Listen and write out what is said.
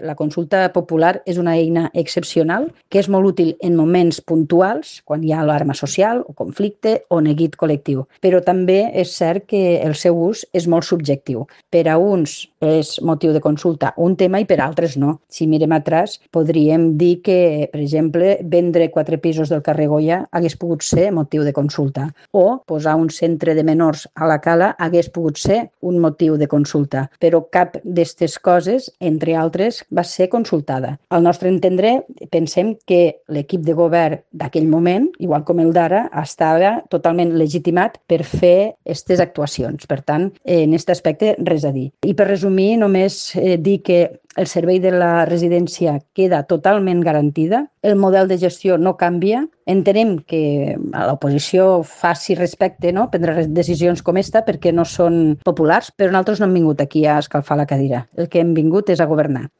La consulta popular és una eina excepcional que és molt útil en moments puntuals, quan hi ha alarma social o conflicte o neguit col·lectiu. Però també és cert que el seu ús és molt subjectiu. Per a uns és motiu de consulta un tema i per altres no. Si mirem atràs, podríem dir que, per exemple, vendre 4 pisos del carrer Goya hagués pogut ser motiu de consulta, o posar un centre de menors a la Cala hagués pogut ser un motiu de consulta, però cap d'aquestes coses, entre altres, va ser consultada. Al nostre entendre, pensem que l'equip de govern d'aquell moment, igual com el d'ara, estava totalment legitimat per fer aquestes actuacions. Per tant, en aquest aspecte, res a dir. I per resumir, només dir que el servei de la residència queda totalment garantida, el model de gestió no canvia, entenem que a l'oposició faci respecte, no?, prendre decisions com esta perquè no són populars, però nosaltres no hem vingut aquí a escalfar la cadira. El que hem vingut és a governar.